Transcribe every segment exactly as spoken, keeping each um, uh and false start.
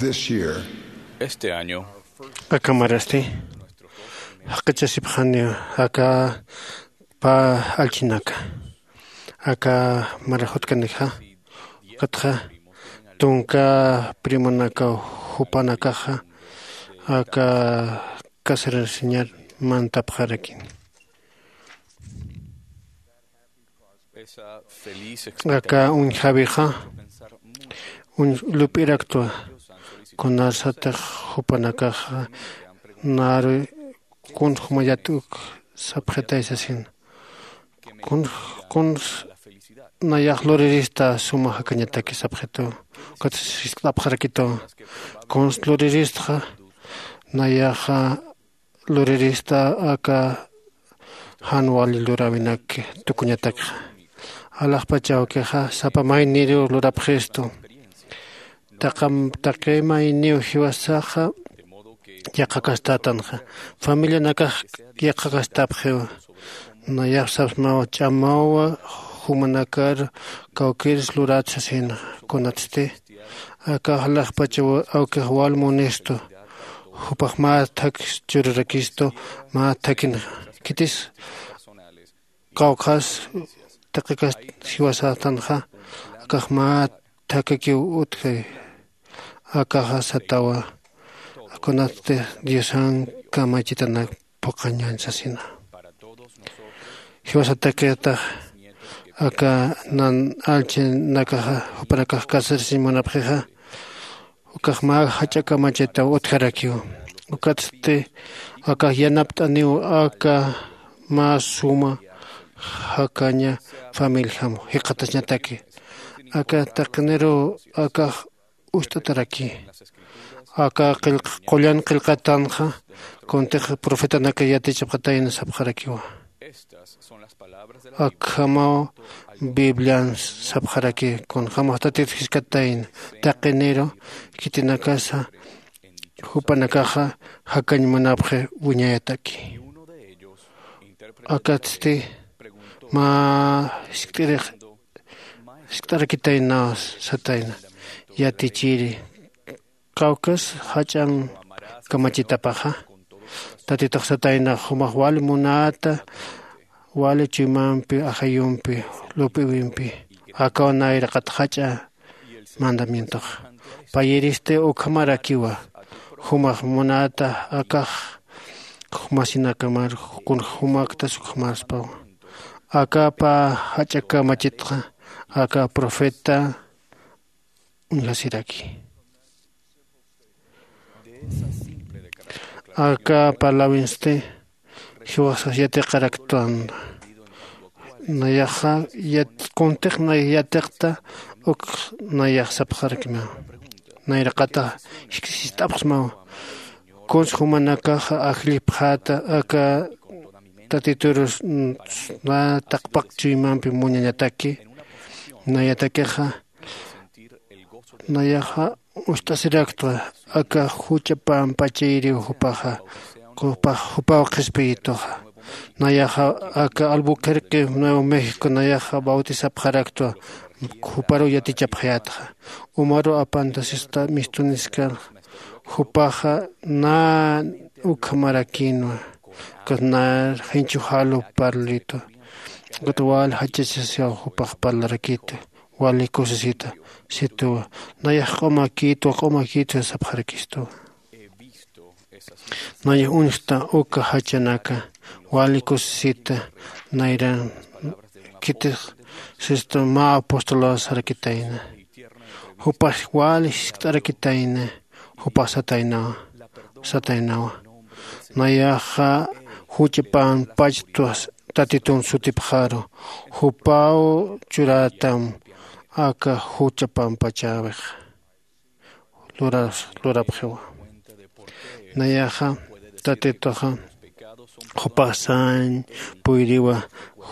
This year, este año, akamarasti jaq'ichasipxaniw aka pä allchinaka, aka marajutkanakxa, ukatxa tunka primonakaw jupanakaxa aka casarasiñar mantapxarakin. Aka uñjawixa uñ lup'iraktwa, kunasatix jupanakaxa naru kuns jumayat uk sapxitay sasin, kuns kuns nayax lurirista suma jakañataki sapxitu. Ukat jiskt'apxarakitu, kuns luriristxa nayaxa lurirista aka jan wali luräwinak tukuñatakxa. Alaxpach awkixa sapa mayniru lurapxistu. Taqam taqi mayniw jiwasaxa yaqhakastätanxa, familianakax yaqhakastapxiwa. Nayax sapsmaw ch'amawa jumanakar kawkïrs lurat sasina. Kunatsti aka alaxpach awkix wal munistu, jupax mä thak churarakistu, mä thakinxa khitis kawkhas taqi kast jiwasatanxa, akax mä thakakiw utji. Akaxa satawa, kunatsti diosan kamachitanak phuqhañan sasina. Jiwasatakitax aka nan allchinakaxa jupanakax casarasiñ munapxixa, ukax mä jach'a kamachitaw utjarakiw. Ukatsti akax yanapt'aniw aka mä suma jakaña familijam jikxatañataki. Aka taqiniruw akax ucht'ataraki. Aka qullan qillqatanxa kuntix profetanaka yatichapxatayna sapxarakiwa. Akhamaw biblian sapxaraki, kunjämax tatit jiskatayna taqiniru khitinakasa jupanakaxa jakañ munapxi wiñayataki. Akatsti mä jiskt'irix jiskt'arakitaynaw satayna, yatichiri, kawkhas jach'an kamachitapaxa? Tatitux satayna, jumax wali munäta wali chuymampi ajayumpi lup'iwimpi, akaw nayraqat jach'a mandamientoxa. Payiristi ukhamarakiwa, jumax munäta akax jumasinakamar, kun jumaktas ukhamaspawa. Aka pä jach'a kamachitxa aka profeta uñjasiraki. Aka parlawinsti jiwasas yatiqaraktwan. Nayaxa kuntix nay yatiqta uk nayax sapxarakma. Nayraqata jist'apxsmaw, kuns jumanakaxa ajllipxäta aka tatiturus na taqpaq chuymampi muñañataki. Nayatakixa nayaxa ucht'asiraktwa aka jucha pampachayiriw jupaxa, jupax jupaw qhispiyituxa. Nayaxa aka Albuquerque, Nuevo México nayaxa bautisapxaraktwa, juparuw yatichapxayätxa. Umaruw apantasista mistuniskar, jupaxa na ukhamarakinwa, ukat na jinchu jalu parlitwa, ukat wal jachachasiw jupax parlarakitu. Wali kusisita, situwa, nayax q'umakitwa q'umakitwa sapxarakistuwa. Nayax uñjta uka jachanaka, wali kusisita, nayran khitix sistu mä apostolwa sarakitayna. Jupax wali jiskt'arakitayna, jupax sataynawa, sataynawa. Nayaxa jucha pampachta tatitun sutipxaru, jupaw churätam aka jucha pampachäwix luras lurapxiwa. Nayaxa tatituxa jupax sañ puyriwa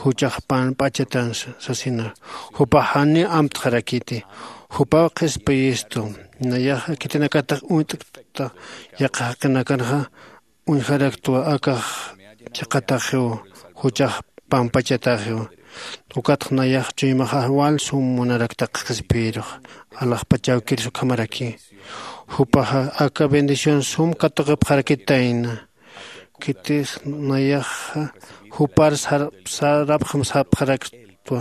juchax pampachatan sasina. Jupax janiw amtxarakiti, jupaw qhispiyistu. Nayaxa khitinakatix uñt'kta yaqha jaqinakanxa uñjaraktwa akax chiqataxiw, juchax pampachataxiw. Ukatx nayax chuymaxax wal sum munarakta qhispiyirux, alaxpach awkirus ukhamaraki. Jupaxa aka bendición sum katuqipxarakitayna. Khitix nayaxa jupar sarapxam sapxaraktwa.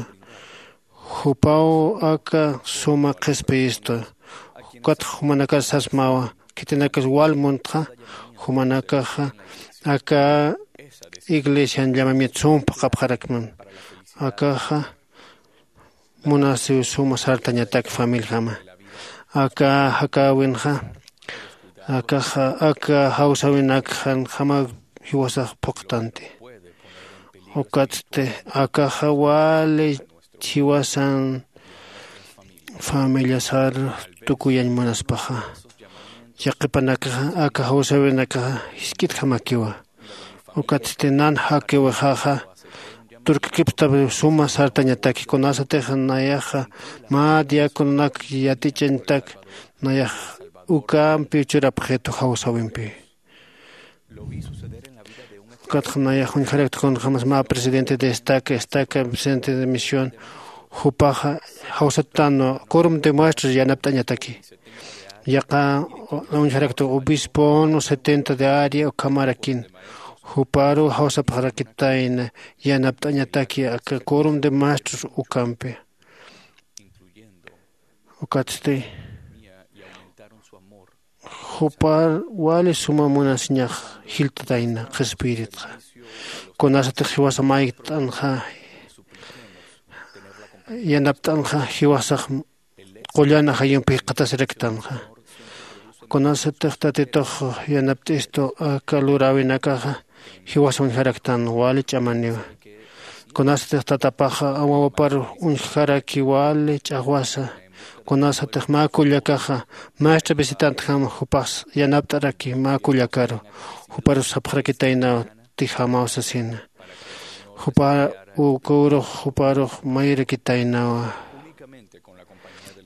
Jupaw aka suma qhispiyistwa. Ukatxa jumanakar sasmawa, khitinakas wal muntxa jumanakaxa aka iglesian llamamiento sum phuqhapxarakman. Akaxa munasiw suma sartañatak familijama. Aka jakäwinxa akaxa aka jawsäwinakxanjama jiwasax phuqtanti. Ukatsti akaxa wali jiwasan familiasar tukuyañ munaspaxa, yaqhipanakaxa aka jawsäwinakaxa jisk'itjamakiwa. Ukatsti nan jakiwixaxa turkakipxtaw suma sartañataki. Kunasatix nayaxa mä diacononak yatichañtak nayax ukampiw churapxitu jawsäwimpiw. Ukatxa nayax uñjarakta kunjämas mä presidente de estaca estaca presidente de misión jupaxa jawsatanwa quorum de muestras yanapt'añataki. Yaqa uñjarakta obispon setenta de área ukhamarakin juparu jawsapxarakitayna yanapt'añataki aka quorum de muestras ukampi. Ukatsti jupar wali suma munasiñax jiltatayna qhispiyiritxa. Kunasatix jiwasa mayt'anxa yanapt'anxa jiwasax qullan ajayumpi jikxatasiraktanxa. Kunasatix tatitux yanapt'istu aka luräwinakaxa jiwasa uñjaraktan wali ch'amaniwa. Kunasatix tatapaxa wawapar uñjaraki wali ch'axwasa. Kunasatix mä kullakaxa maestra visitantjam jupax yanapt'araki mä kullakaru juparus sapxarakitaynaw tijamaw sasina. Jupa ukürux juparux mayirakitaynawa.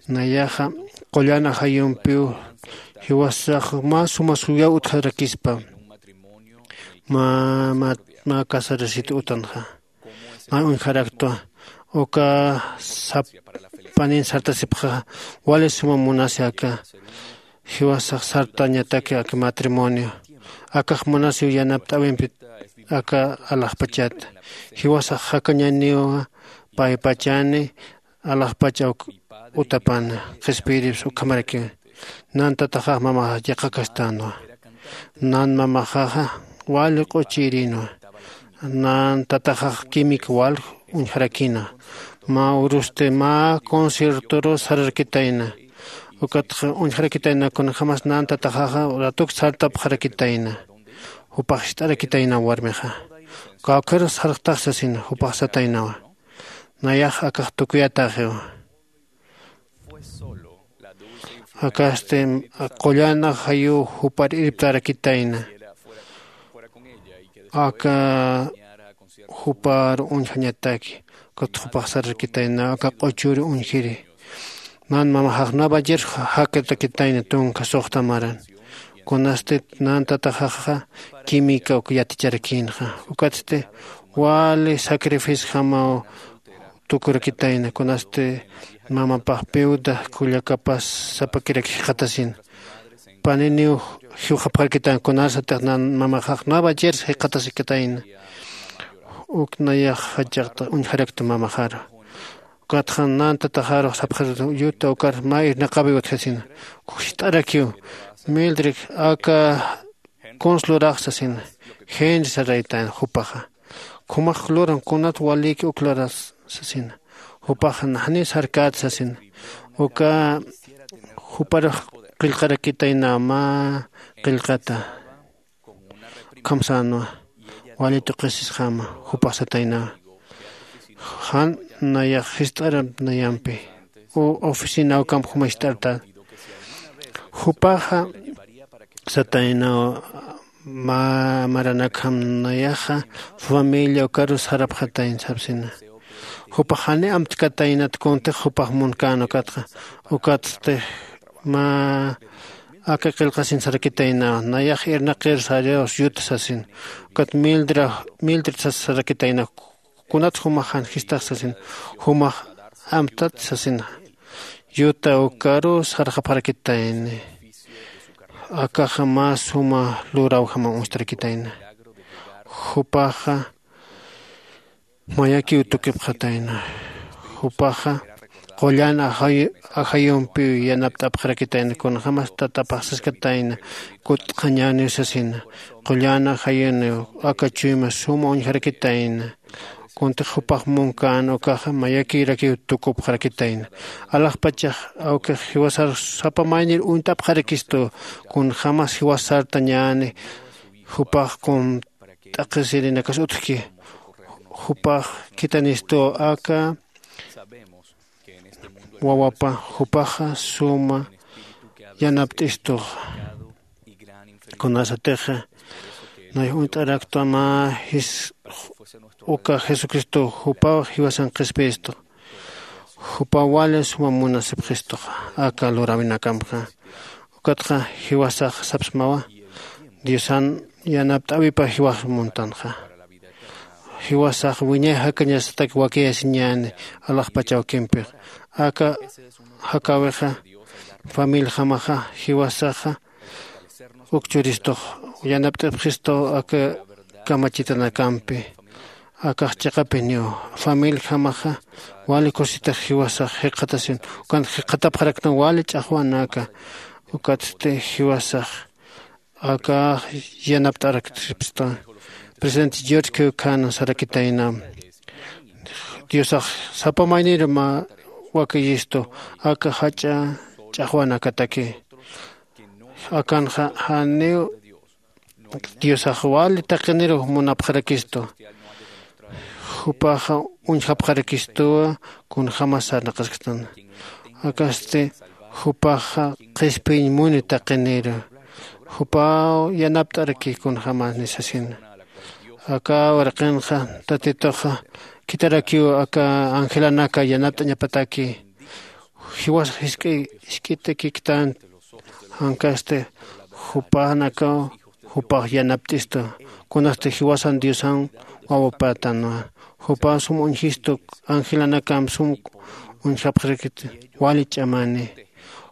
Nayaxa qullan ajayumpiw jiwasax mä suma suyaw utjarakispa mä mä casarasit utanxa. Mä uñjaraktwa uka sap panin sartasipxa wali suma munasi aka jiwasax sartañataki aka matrimonio. Akax munasiw yanapt'äwimpi aka alaxpachata jiwasax jakañaniwa paypachani alaxpach awk utapana. Qhispiyiripsa ukhamarakiwa. Nan tataxax mamaxax yaqhakastänwa. Nan mamaxaxa wali q'uchïrinwa. Nan tataxax química wal uñjarakina. Mä urusti mä conciertoru sararakitayna. Ukatxa uñjarakitayna kunjämas nan tataxaxa ratuk sartapxarakitayna. Jupax jist'arakitayna warmixa. Kawkharus sarxtax sasina jupax sataynawa. Nayax akax tukuyatäxiwa. Akasti qullan ajayuw jupar irptarakitayna. Aka jupar uñjañataki. Ukat jupax sararakitayna aka q'uchuri uñjiri. Nan mamaxax nueva jersey jakatakitayna tunka suxta maran. Kunasti nan tataxaxa química uk yaticharakïnxa. Ukatsti wali sacrificiojamaw tukurakitayna kunasti mamapax piuda kullakapas sapakirak jikxatasin. Paniniw jiwxapxarakitayna kunasatix nan mamaxax nueva jersey jikxatasikitayna. Uk nayax jachaqta uñjarakta mamaxaru. Ukatxa nan tataxarux sapxarakta yuta ukar mä irnaqawiw utjasina. Jist'arakiw mildrik aka kuns lurax sasina. Genri saraytan jupaxa. Khumax luran kunat waliki uk luras sasina. Jupaxa naxni sarkät sasina. Uka juparux qillqarakitayna mä qillqata. Ukham sänwa wali tuqisisxama. Jupax sataynawa jan nayax jist'aramp nayampi. U oficina ukamp juma jist'arta. Jupaxa sataynawa mä maranakjam nayaxa familia ukarus sarapxatayna sapsina. Jupax jani amtkataynat kuntix jupax munkän ukatxa. Ukatsti mä aka qillqasin sarakitaynawa nayax irnaqir sariyaw yuta sasin. Ukat mildra mildra sas sarakitaynawa. Kunat jumax jan jistax sasin. Jumax amtat sasina. Yuta ukaru sarxapxarakitayni. Akaxa mä suma lurawjama uñstarakitayna. Jupaxa mayakiw tukipxatayna. Jupaxa qullan ajay- ajayumpiw yanapt'apxarakitayna, kunjämas tatapaxsaskatayna kut'qhañäniw sasina. Qullan ajayuniw aka chuyma suma uñjarakitayna. Kuntix jupax munkän ukaxa mayakirakiw tukupxarakitayna. Alaxpachax awkix jiwasar sapa maynir uñt'apxarakistu, kunjämas jiwasartañäni jupax kun t'aqhisirinakas utjki. Jupax khithanistu aka wawapa, jupaxa suma yanapt'istuxa. Kunasatixa nayax uñt'araktwa mä jis- uka Jesucristo jupaw jiwasan qhispiyistu. Jupaw wali suma munasipxistuxa aka luräwinakampxa. Ukatxa jiwasax sapsmawa, Diosan yanapt'äwipa jiwax muntanxa. Jiwasax wiñay jakañasatak wakiyasiñäni alaxpach awkimpix. Aka jakäwixa, familijamaxa, jiwasaxa uk churistux yanapt'apxistu aka kamachitanakampi. Akax chiqapiniw familijamaxa wali kusitix jiwasax jikxatasin, ukan jikxatapxaraktan wali ch'axwanaka. Ukatsti jiwasax aka yanapt'araksipsta. Presidente George Keukan sarakitayna, Diosax sapa mayniru mä wakiyistu aka jach'a ch'axwanakataki. Akanxa janiw Diosax wali taqiniru munapxarakistu. Jupaxa uñjapxarakistuwa kunjämas sarnaqasktan. Akasti jupaxa qhispiñ muni taqiniru. Jupaw yanapt'araki kunjämas nisasina. Aka uraqinxa Tatituxa khitharakiw aka angelanaka yanapt'añapataki. Jiwas jisk'i- jisk'itakiktan. Jankasti jupanakaw jupax yanapt'istu. Kunasti jiwasan Diosan wawapätanwa. Jupaw sum uñjistu, angelanakamp sum uñjapxirakit wali ch'amani.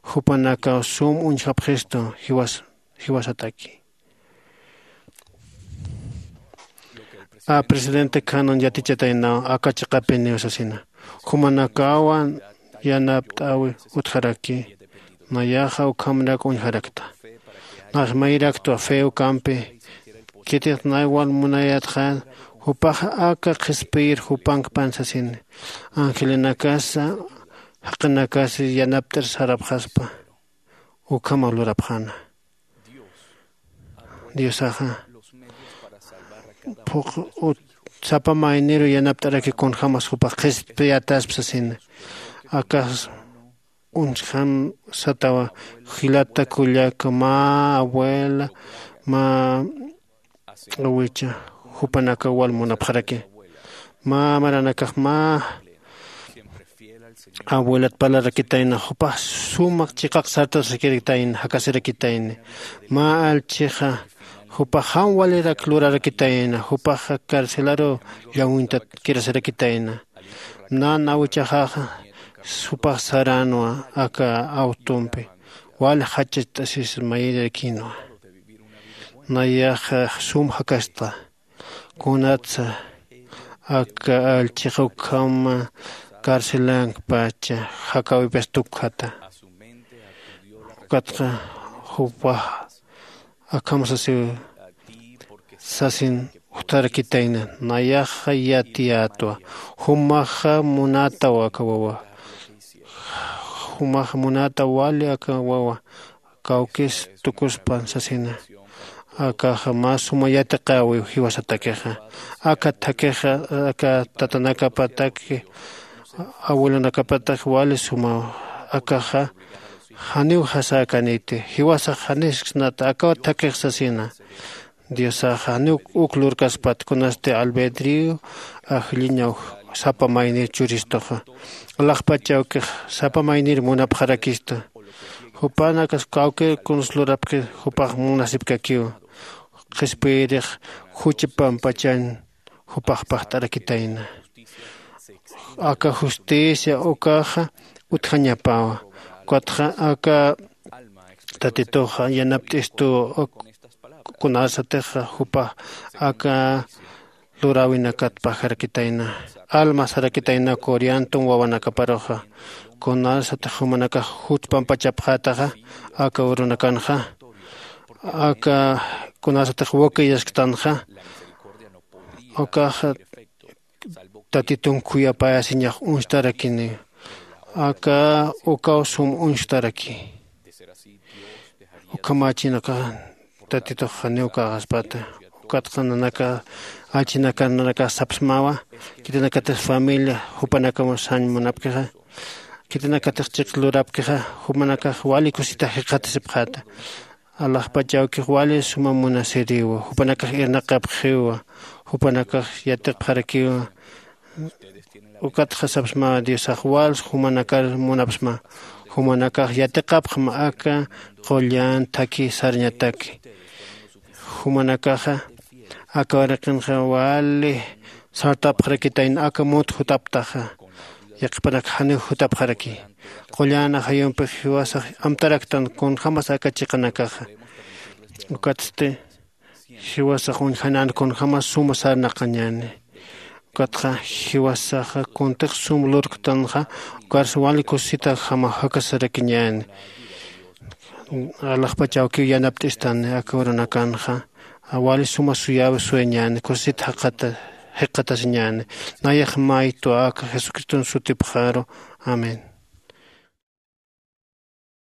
Jupanakaw sum uñjapxistu jiwas- jiwasataki. A presidente Cannon yatichataynaw aka chiqapiniw sasina. Jumanakawan yanapt'äwi utjaraki. Nayaxa ukhamrak uñjarakta. Nax mayraktwa fe ukampi. Khitix nay wal munayatxa jupaxa aka qhispiyir jupankpan sasini. Angelinakasa jaqinakasi yanapt'ir sarapxaspa. Ukhamaw lurapxäna. Diosaxa phuq ut- sapa mayniru yanapt'araki kunjämas jupax qhispiyataspa sasina. Akax uñjam satawa, jilata kullaka, mä abuela, mä awicha, jupanaka wal munapxaraki. Mä maranakax mä abuelat parlarakitayna, jupax sumaq chiqaq sartasakirikitayna, jakasirakitayna. Mä allchixa jupax jan walirak lurarakitayna, jupaxa carcelaru llawintat kirasirakitayna. Nan awichaxaxa jupax saränwa aka awtumpi, wal jachacht'asis mayirakinwa. Nayaxa sum jakasta. Kunatsa aka allchixa ukhama carcelankpacha jakäwipas tukjata. Ukatxa jupax akham sasiw sasin ujtharakitayna, nayaxa yatiyätwa. Jumaxa munataw aka wawa. Jumaxa munataw wali aka wawa. Kawkis tukuspan sasina. Akaxa mä suma yatiqäwiw jiwasatakixa. Aka thakixa, aka tatanakapataki, abuelonakapatak wali sumaw. Akaxa janiw jasäkaniti. Jiwasax janisksnata akaw thakix sasina. Diosax janiw uk lurkaspat kunasti albedrío ajlliñaw sapa maynir churistuxa. Alaxpach awkix sapa maynir munapxarakista. Jupanakas kawkir kuns lurapxi jupax munasipkakiw. Qhispiyirix jucha pampachañ jupax pajt'arakitayna. Aka justicia ukaxa utjañapawa. Ukatxa aka Tatituxa yanapt'istu kunasatix jupa aka luräwinakat pajarakitayna, alma sarakitayna coriantum wawanakaparuxa. Kunasatix jumanakax juch pampachapxätaxa aka urunakanxa, aka kunasatix wakiyasktanxa, ukaxa tatitun khuyapayasiñax uñstarakini. Aka ukaw sum uñstaraki. Ukhamachinakax tatitux janiw käxaspata. Ukatxa nanaka achinakar nanakax sapsmawa, khitinakatix familia jupanakamu sañ munapkixa, khitinakatix chiq lurapkixa, jupanakax wali kusita jikxatasipxäta. Alaxpach awkix wali suma munasiriwa, jupanakax irnaqapxiwa, jupanakax yatiqpxarakiwa. Ukatxa sapsma diosax wals jumanakar munapsma. Jumanakax yatiqapxma aka qullan thakhi sarñataki. Jumanakaxa aka uraqinxa wali sartapxarakitayna aka munt jutaptaxa. Yaqhipanak janiw jutapxaraki. Qullan ajayumpix jiwasax amtaraktan kunjämas aka chiqanakaxa. Ukatsti jiwasax uñjanan kunjämas suma sarnaqañäni. Ukatxa jiwasaxa kuntix sum lurktanxa ukarsa wali kusisitjama jakasarakiñäni. Alaxpach awkiw yanapt'istani aka urunakanxa wali suma suyäwi suyañäni, kusisit jikxatasiñäni. Nayax maytwa aka jesucriston sutipxaru. Amén.